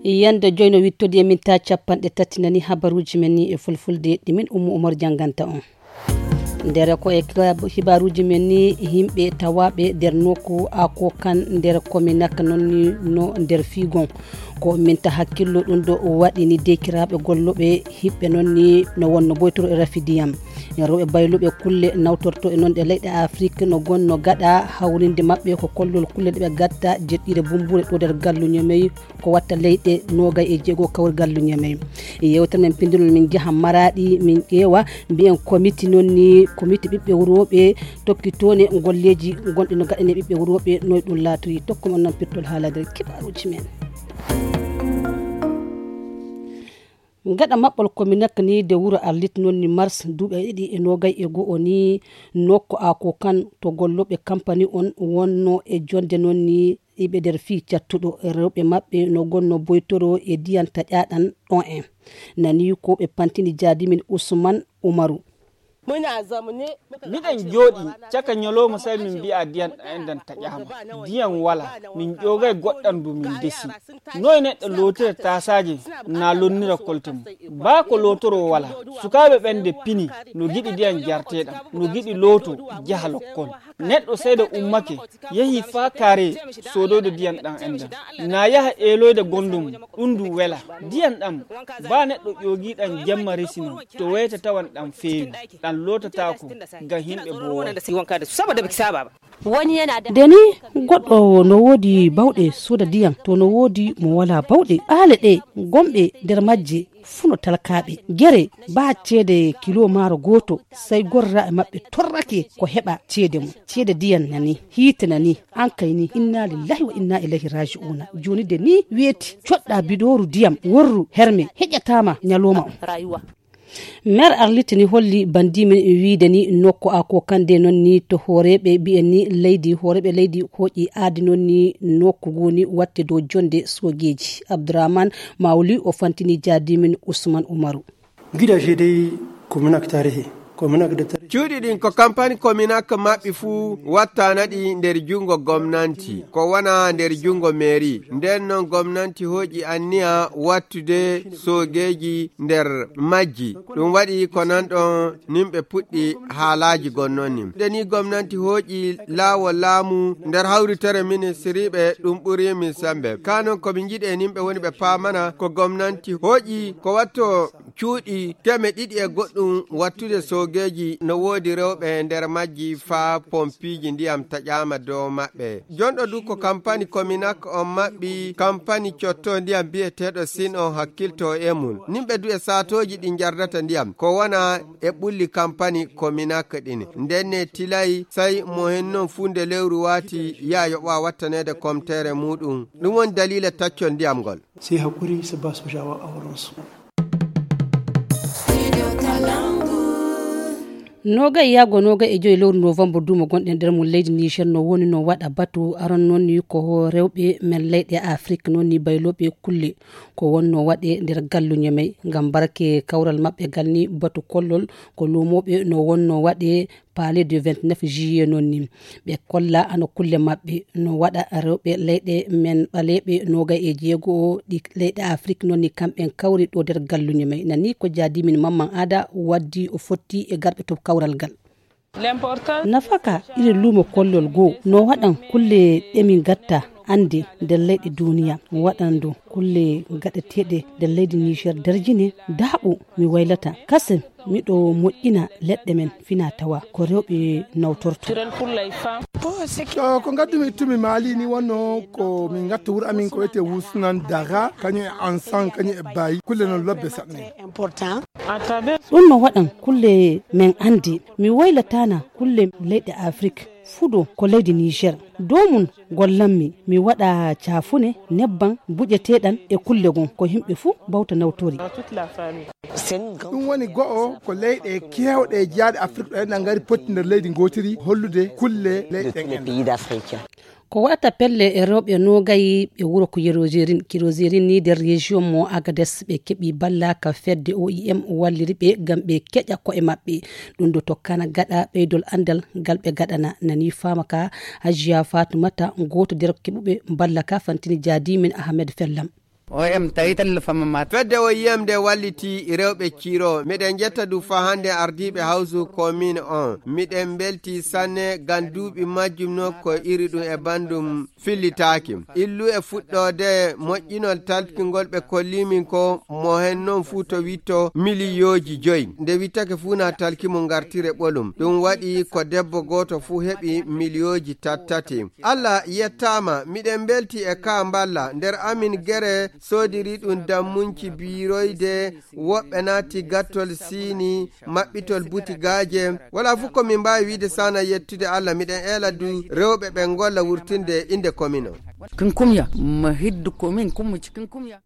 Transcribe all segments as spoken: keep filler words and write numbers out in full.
Yande joyno wittodi e minta capanɗe tati nani habaruji men ni e fulfulde ɗi min Ummu Umar janganta on. Nder ko e ka-, hibaruji men ni, yimɓe tawaɓe nder nokku Akokan nder Kominak non ni no nder figon. Ko minta hakkillo ɗum ɗo waɗi ni dekiraɓe golloɓe hiɓɓe non ni no wonno boytoro e rafi diyam. E rewɓe bayluɓe kulle nawtorto e non ɗe leyɗe Afrik no gonno gaɗa hawrinde maɓɓe ko kollol kulle ɗe ɓe gatta jeɗɗire bumbure ɗo nder gallu Ñamey. Ko watta leyɗe nogay e jeego kawrigal Ñamey. E yewtere men pindirol min njaha Maraɗi min ƴeewa mbiyen komiti non ni komiti ɓiɓɓe wurooɓe tokkitone golleeji gonɗi no gaɗane ɓiɓɓe wurooɓe noy ɗum laatoyi tokko mon non pirtol haalade kibaruji men. Gaɗa maɓɓol kominak ni de wuro Arlit non ni mars duuɓi ɗiɗi e nogay e go'o ni nokko ako kan to golloɓe kampani on wonno e jonde non ni iɓe nder fii cattuɗo rewɓe maɓɓe no gonno boytoro e diyan taƴaɗan ɗon en. Nani ko ɓe pantini jaadimin Usman Umaru. Miɗen jooɗi caka ñalawma, sey min mbi'a diyan ɗan enɗan taƴaama. Diyan wala, min ƴoogay goɗɗan du min desi. Noy neɗɗo lootira taasaaje na lonnira kolte mum? Baa ko lootoroo wala. Sukaaɓe ɓen de pini no giɗi diyan jarteeɗan, no giɗi looto jaha lokkol. Neɗɗo seeɗa ummake, yehi faa kaare soodoyde diyan ɗan enɗan. Na yaha eeloyde gonɗo mum, ɗun du wela. Diyan ɗan, baa neɗɗo ƴoogiiɗan jemma resi non, to weyta tawan ɗan feewi, ɗan lootataako ngam himɓe boo wala. Nde ni goɗɗo no woodi bawɗe sooda diyan, to no woodi mo walaa bawɗe. Aale ɗe gonɓe nder majje fuu no talkaaɓe. Gere baa ceede kilo maaro gooto, sey gorraaɓe maɓɓe torrake ko heɓa ceede mum. Ceede diyan nani, hiite nani, an kay ni, inna lillahi wa inna ilayhi raji'una. Jooni de ni weeti, coɗɗa bidooru diyam, worru herme, heƴataama ñalawma on. Meer Arlit ni holli bandimen wiide ni nokku ako kande non ni to hooreeɓe mbi'en ni leydi, hooreeɓe leydi hooƴi aadi non ni nokku goni watte dow jonde soogeeji. Abdourahmane Mawli o fantini jaadimin Usman Umaru. Gidaje dey ko minak tarihi, ko minak de tarihi. Cuuɗi ɗin ko kampani Kominak maɓɓi fuu wattaana ɗi nder junngo gomnanti, ko wona nder junngo meeri. Nden non gomnanti hooƴi anniya wattude soogeeji nder majji. Ɗum waɗi ko nan ɗon nimɓe puɗɗi haalaaji gonnon nin. Nde ni gomnanti hooƴi laawol laamu nder hawritere ministiriiɓe, ɗum ɓuri min sembe. Kaa non ko min njiɗi e nimɓe woni ɓe paamana ko gomnanti hooƴi ko watto cuuɗi keme ɗiɗi e goɗɗum wattude soogeeji, no woodi rewɓe nder majji faa pompiiji ndiyam taƴaama dow maɓɓe. Jonɗo du ko kampani Kominak on maɓɓi kampani cotto ndiyam bi'eteeɗo Sin on hakkilto e mum. Nimɓe du e saatooji ɗi njardata ndiyam ko wona e ɓulli kampani Kominak ɗin. Nden ne tilay say mo hen non fuu nde lewru waati yaa yoɓa wattaneede komtere muuɗum. Ɗum woni daliila taccol ndiyam ngol. Sai haƙuri su ba sojawa a wurinsu. Nogay yaago nogay e joyi lewru novembre duumo gonɗen nder mum leydi Niger no woni no waɗa batu aron noon ni ko rewɓe men leyɗe Afrik noon ni baylooɓe kulle ko wonno waɗe nder gallu Ñamey ngam barke kawral maɓɓe gal ni batu kollol ko luumooɓe no wonno waɗe Palais du vingt-neuf juillet noon ni. Ɓe kolla ano kulle maɓɓe no waɗa rewɓe leyɗe men ɓaleeɓe noogay e jeego ɗi leyɗe Afrik noon ni kamɓen kawri ɗo nder galluñe may. Nani ko jaadimin Mamman Ada waddi o fotti e garɓe to kawral gal. Nafaka iri luumo kollol goo no waɗan kulle ɗe min gatta annde nder leyɗe duuniya waɗan ɗo kulle gaɗeteeɗe nder leydi Niger darjine daaɓo mi waylata kasen. Miɗo moƴƴina leɗɗe men fina tawa ko rewɓe nawtorto. To ko ngaddumi ittumi maali ni wonno ko min ngatta wuro amin ko wiyete wusnan daga kañum e ansan kañum e bayi kulle non lobbe saɗne. Ɗum no waɗan kulle men anndi mi waylatana kulle leyɗe afrik fuɗo ko leydi niger dow mum gollanmi mi waɗa caafune nebban buƴeteɗan e kulle gon ko yimɓe fuu bawta nawtori. Ɗum woni go'o ko leyɗe keewɗe jeyaaɗe afrik ɗo enɗan ngari potti nder leydi ngootiri hollude kulle leyɗe ɗen enɗan. Ko waɗata pelle e rewɓe nogayi ɓe wuro ko yeroserin kiroserin ni nder région mo agades ɓe keɓi balla ka fedde oim walliri ɓe ngam ɓe keƴa ko'e maɓɓe. Ɗum ɗo tokkana gaɗa ɓeydol anndal ngal ɓe gaɗana nani faama ka hajiya fatumata gooto nder keɓuɓe balla ka fantini jaadimin ahmed fellam. O M tawi tan no fama mata. Fedde o yiyam nde walliti rewɓe Ciro. Miɗen jetta du fa hannde ardiiɓe hawsu commune on. Miɗen mbelti sanne ngam duuɓi majjum no ko iri ɗum e banndum fillitaaki. Illu e fuɗɗoode moƴƴinol talkingol ɓe kollimin ko mo hen non fuu to witto miliyooji joyi. Nde wittake fuu na talki mo ngartire ɓolum. Ɗum waɗi ko debbo gooto fuu heɓi miliyooji tattati. Allah yettaama, miɗen mbelti e ka mballa. Nder amin gere soodiri ɗum dammunci biiroyde, woɓɓe naati gattol siini, maɓɓitol butigaaje. Wala fof ko min mbaawi wiide sana yettude Allah, miɗen eela du rewɓe ɓe ngolla wurtinde innde commune o. Kin kumya, ma hiddu commune kummuci kin kumya.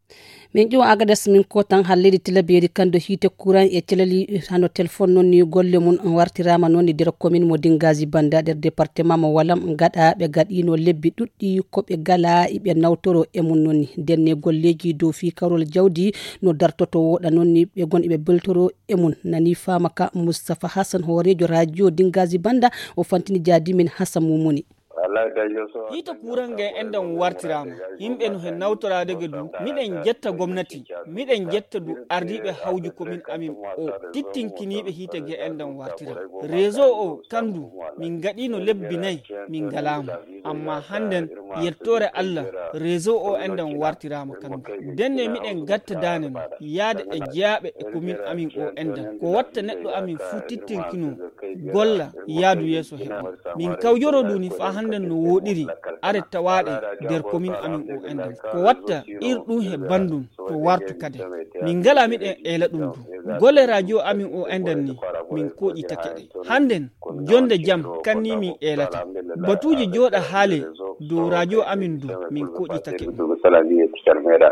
Min ƴeewa Agades min ko tan halleede tilabeeri kan do hiite kuran e calali hano telefon noon ni golle mum wartiraama noon ni nder commune mo Dingazi Banda nder département mo Walam gaɗa ɓe gaɗiino lebbi ɗuɗɗi ko ɓe gala iɓe nawtoro e mum noon ni. Ndenne golleeji dow fii karol jawdi no dartoto woɗa noon ni ɓe gon iɓe beltoro e mum. Nani faama ka Moustapha Hassan hooreejo radio Dingazi Banda o fantini jaadi min Hassan Mumuni. Hiita kuuran ngan enɗan wartiraama. Yimɓe no he nawtoraade ga du. Miɗen jetta gomnati. Miɗen jetta du ardiiɓe hawju komin amin o tittinkiniiɓe hiite ga enɗan wartiraama. Réseau o kan du min gaɗiino lebbi nay min ngalaama. Amma hannden yettoore Allah réseau o enɗan wartiraama kan du. Ndenne miɗen gatta daane no yaade e jeyaaɓe e komin amin o enɗan. Ko watta neɗɗo amin fuu tittinkinoo golla yaadu yeeso heɓa. Min kawjoro ɗum ni faa hannden no wooɗiri are tawaaɗe nder komin amin o enɗan. Ko watta ir ɗum he banndum to wartu kade. Min ngala miɗen eela ɗum du. Golle radio amin o enɗan ni min koƴitake ɗe. Hannden jonde jam kan ni min eelata. Batuuji jooɗa haale dow radio amin du min koƴitake ɗum.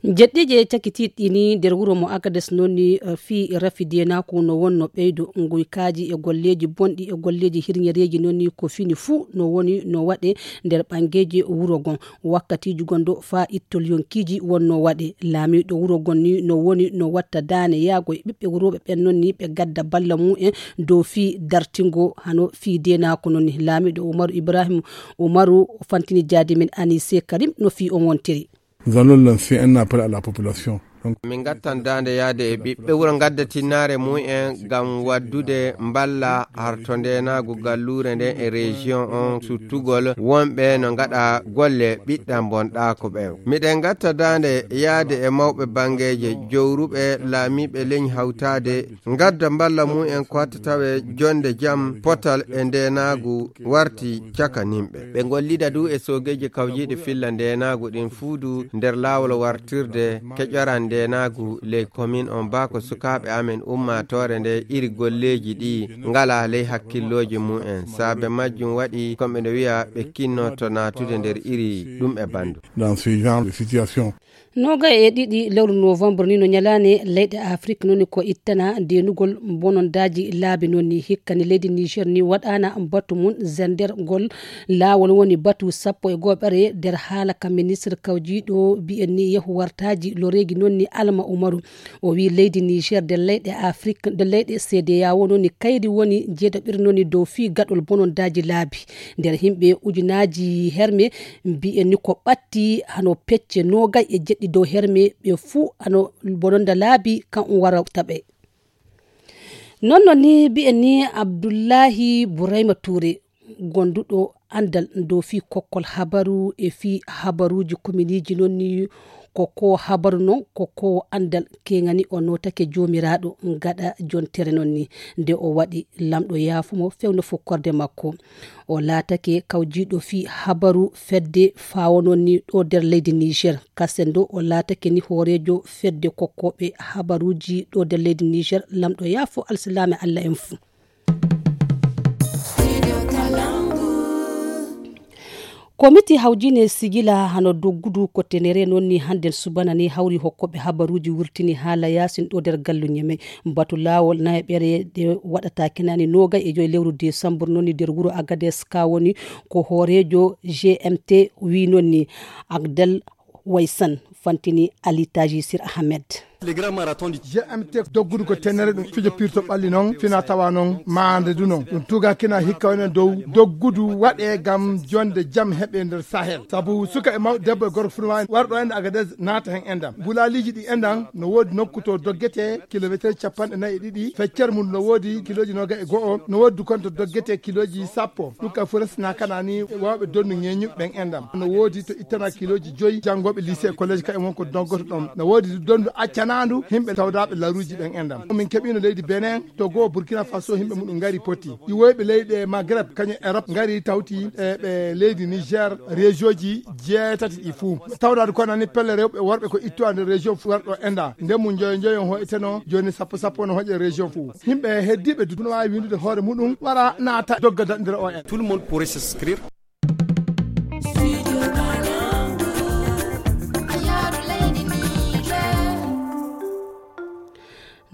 Jeɗɗiije cakitiiɗi ɗi ni nder wuro mo Agades noon ni, eh, fii rafi deenaaku no wonno ɓeydo nguykaaji e golleeji bonɗi e golleeji hirñereeji noon ni ko fini fuu no woni no waɗe nder ɓanngeeji wuro gon. Wakkatiiji gon do faa ittol yonkiiji wonno waɗe. Laamiiɗo wuro gon ni no woni no watta daane yaago e ɓiɓɓe wurooɓe ɓen noon ni ɓe gadda balla mu'en dow fii dartingo hano fii deenaaku noon ni. Laamiiɗo Umaru Ibrahim Umaru fantini jaadi men Anise Karim no fii on wontiri. Nous allons lancer un appel à la population. Donc, min ngattan daande yaade e ɓiɓɓe wuro ngadda tinnaare mumen ngam waddude mballa harto ndeenaagu galluure nden e région on suttugol wonɓe no ngaɗa golle ɓiɗɗan bonɗaako ɓen. Miɗen ngatta daande yaade e mawɓe banngeeje jowruɓe laamiiɓe leñ hawtaade ngadda mballa mumen ko watta tawe jonde jam potal e ndeenaagu warti caka nimɓe. Ɓe ngollida du e soogeeji kawjiiɗi filla ndeenaagu ɗin fuu du nder laawol wartirde keƴoran ndeenaagu ley komin on baa ko sukaaɓe amen ummaatoore nde iri golleeji ɗi ngalaa ley hakkillooji mumen. Saabe majjum waɗi ko ɓe no wi'a ɓe kinnoto naatude nder iri ɗum e banndum. Dans ce genre de situation. Noogay e ɗiɗi lewru novembre ni no ñalaande leyɗe Afrik noon ko ittana deenugol bonondaaji laabi noon ni. Hikka ni leydi Niger ni waɗaana batu mum zendergol laawol woni batu sappo e go'oɓere nder haala ka ministre kawjiiɗo mbi'en ni yahu wartaaji loreeji noon ni Alma Umaru. O wi'i leydi Niger nder leyɗe Afrik, nder leyɗe C D A O noon ni kayri woni jeeɗaɓiri noon ni dow fii gaɗol bonondaaji laabi. Nder yimɓe ujunaaji herme mbi'en ni ko ɓatti hano pecce noogay e jeɗɗi dow herme ɓe fuu hano bononda laabi kan um warata ɓe. Noon noon ni mbi'en ni Abdullahi Burayma Touré, gonduɗo anndal dow fii kokkol habaru e fii habaruuji kominiiji noon ni ko ko habaru noon ko ko anndal keŋani o nootake joomiraaɗo gaɗa jontere noon ni. Nde o waɗi lamɗo yaafumo fewno fukkorde makko. O laatake kawjiiɗo fii habaru fedde faawo noon ni ɗo nder leydi Niger. Kasen ɗo o laatake ni hooreejo fedde kokkooɓe habaruuji ɗo nder leydi Niger. Lamɗo yaafo alsilaame Allah en fuu. Komiti hawjine sigila hano doggudu ko tenere noon ni hannden subana ni hawri hokkooɓe habaruuji wurtini haala yaasin ɗo nder gallu Ñeme. Batu laawol nayaɓere nde waɗata kenani noogay e joy lewru desambur noon ni nder wuro Agades ka woni ko hooreejo G M T wi noon ni Agdel Waysan fantini Ali Taji Sir Ahmed. G M T doggudu ko tenere ɗum fijo pirto ɓalli noon fina tawa noon maande du noon ɗum tuga kina hikka woni dow doggudu waɗe gam jonde jam heɓe nder Sahel sabu suka e mawɗo debbo e gorko funa wawi warɗo ende Agadez naata hen endam. Bulaaliji ɗi endan no woodi nokku to doggete kilometer capanɗe nayi e ɗiɗi feccere mum no woodi kiloji noga e go'o no woodi du konto doggete kiloji sappo ɗum ka fo resna kana ni wawɓe dondu ŋeñuɓe ɓen endam no woodi to ittana kiloji joyi janngoɓe lycée e collège ka e won ko doggoto ɗon no woodi du dondu accanandu himɓe tawdaɓe laruji ɓen endam min keɓino leydi Benin, Togo, Burkina Faso himɓe muɗum ngari poti iwoyɓe leyɗe Maghreb kañum Europe ngari tawti e ɓe leydi Niger région ji jeetati ɗi fuu tawdaade ko nani pelle rewɓe worɓe ko ittuwa nder région fuu warɗo enda nde mum joyo joyo on hoyteno joni sappo sappo no hoƴe région fuu. Himɓe heddiɓe du no wawi windude hoore muɗum wara naata dogga daɗdira o en. Tout le monde pourrait s'inscrire.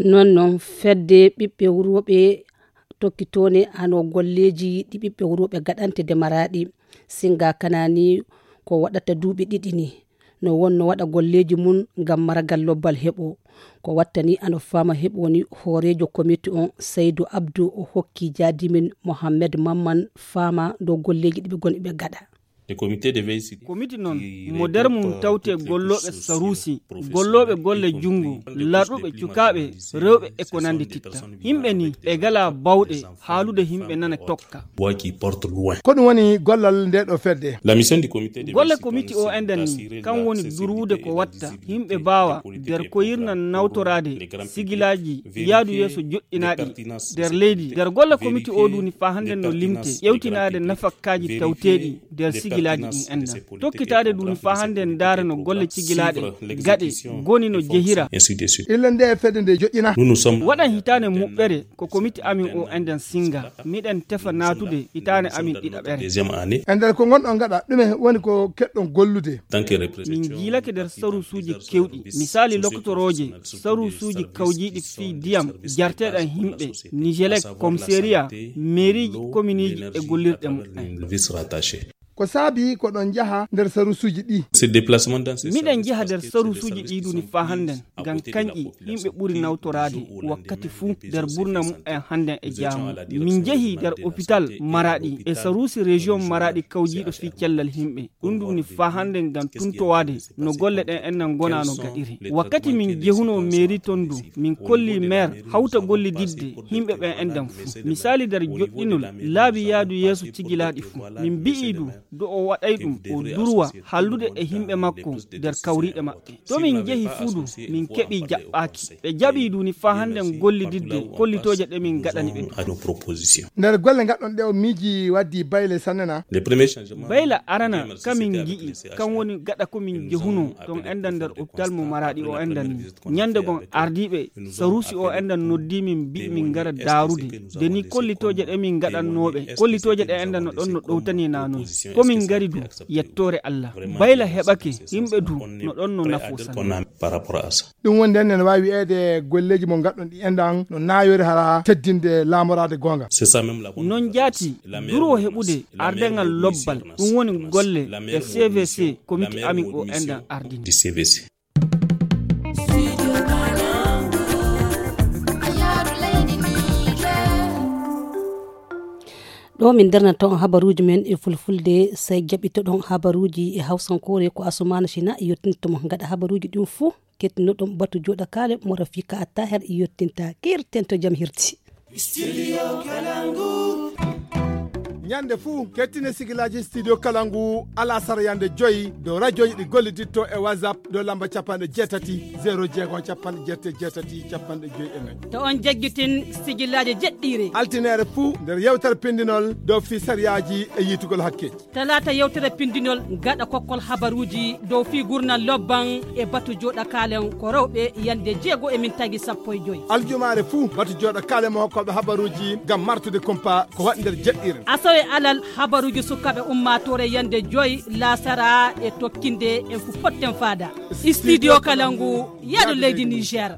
Non non fedde ɓiɓɓe wurwoɓe tokkitone ano golleji ɗi ɓiɓɓe wurwoɓe gaɗante de maraɗi singa kanani ko waɗata duuɓi ɗiɗi ni no wonno waɗa golleji mum ngam maragal lobbal heɓo ko wattani ano fama heɓo ni hoorejo komiti on saydu abdu o hokki jadimin mohammed mamman fama dow golleji ɗiɓe gon ɓe gaɗa. Komiti noon mo nder mum tawte gollooɓe saruusi, gollooɓe golle junngo, larɗuɓe cukaaɓe, rewɓe e ko nanndi titta. Yimɓe nii ɓe ngalaa baawɗe haalude yimɓe nana tokka. Ko ɗum woni gollal ndee ɗoo fedde. Golle komiti oo enɗan nii kam woni durwude ko watta yimɓe mbaawa nder koyirna nawtoraade sigilaaji yaadu yeeso joɗɗinaaɗi nder leydi. Nder golle komiti oo duuni faa hannden no limte ƴewtinaade nafakkaaji tawteeɗi nder sigilaaji ɗin enɗan. Tokkitaade duuni faa hannden ndaara no golle cigilaaɗe gaɗe goni no jehira. Illa nde fedde nde joƴƴina. Waɗan hitaande muɓɓere ko komiti amin oo enɗan singa. Miɗen tefa naatude hitaande amin ɗiɗaɓere. E nder ko ngonɗon gaɗa ɗume woni ko keɗɗon gollude? Min njiilake nder saruusuuji kewɗi, misaali lokotorooje, saruusuuji kawjiiɗi fii diyam, jarteeɗan yimɓe, nijelek, komiseriya, meeriiji, kominiiji e gollirɗe muɓɓen. Ko saabii ko ɗon njaha nder saruusuuji ɗi? Miɗen njaha nder saruusuuji ɗi duuni faa hannden ngam kanƴi yimɓe ɓuri nawtoraade wakkati fuu nder burna muɓɓen hannden e jaamu. Min njahii nder opital Maraaɗi e saruusi rejiyon Maraaɗi kawjiiɗo fii cellal yimɓe. Ɗum duuni faa hannden ngam tuntowaade no golle ɗen enɗan ngonaa no gaɗiri. Wakkati min jehunoo meeri ton du min kollii meer hawta gollididde yimɓe ɓen enɗan fuu. Misaali nder joɗɗinol laabi yaadu yeeso cigilaaɗi fuu. Min mbi'ii du do o waɗay ɗum o durwa hallude e yimɓe makko nder kawriiɗe maɓɓe. To min njehi fuu du min keɓii jaɓɓaaki. Ɓe jaɓii duuni faa hannden gollididde kollitooje ɗe min ngaɗani ɓe. Nder golle ngaɗɗon ɗe o miiji waddi bayle sanne na? Bayla arana ka min ngi'i kan woni gaɗa ko min jehunoo ton enɗan nder opital mo Maraaɗi o enɗan nii. Ñannde gon ardiiɓe saruusi o enɗan noddii min mbi'i min ngara daarude de nii kollitooje ɗe min ngaɗannoo ɓe kollitooje ɗe enɗan no ɗon no ɗowtanii naa non. Ko min ngari du yettoore Alla. Bayla heɓake yimɓe du no ɗon no nafoo sanne. Ɗum woni nden ene waawi wiyeede golleeji mo ngaɗɗon ɗi enɗan no naayori hara teddinde laamoraade goonga. Non jaati duroo heɓude ardengal lobbal ɗum woni golle e C V C komiti amin o enɗan ardini. Ɗo min darnata on habaruuji men e fulfulde, sey jaɓitoɗon habaruuji e hawsankoore ko Asumaana Sina yottinto mo. Gaɗa habaruuji ɗin fuu, kettinnoɗon batu jooɗa kaale mo Rafika Attaher yottinta. Kirten to jam hirti. Ñande fuu kettine sigilaaji Studio Kalangu alasara yande joyi dow rajoji ɗi golliditto e WhatsApp dow lamba capanɗe jeetati zero jeego capanɗe jeetati jeetati capanɗe joyi e nayi. To on jaggitin sigilaaji jeɗɗiire. Altineere fuu nder yewtere pindinol dow fii sariyaaji e yiitugol hakkeeji. Talaata yewtere pindinol gaɗa kokkol habaruuji dow fii gurnal lobban e batu jooɗa kaalen ko rewɓe yande jeego e min tagi sappo e joyi. Aljumaare fuu batu jooɗa kaalen mo hokkooɓe habaruuji ngam martude kumpa ko waɗi nder jeɗɗiire. Asawe alal habaruuji sukaaɓe ummaatoore yande joyi laasara e tokkinde en fu potten faada. Studio Kalangu yaɗo leydi Niger.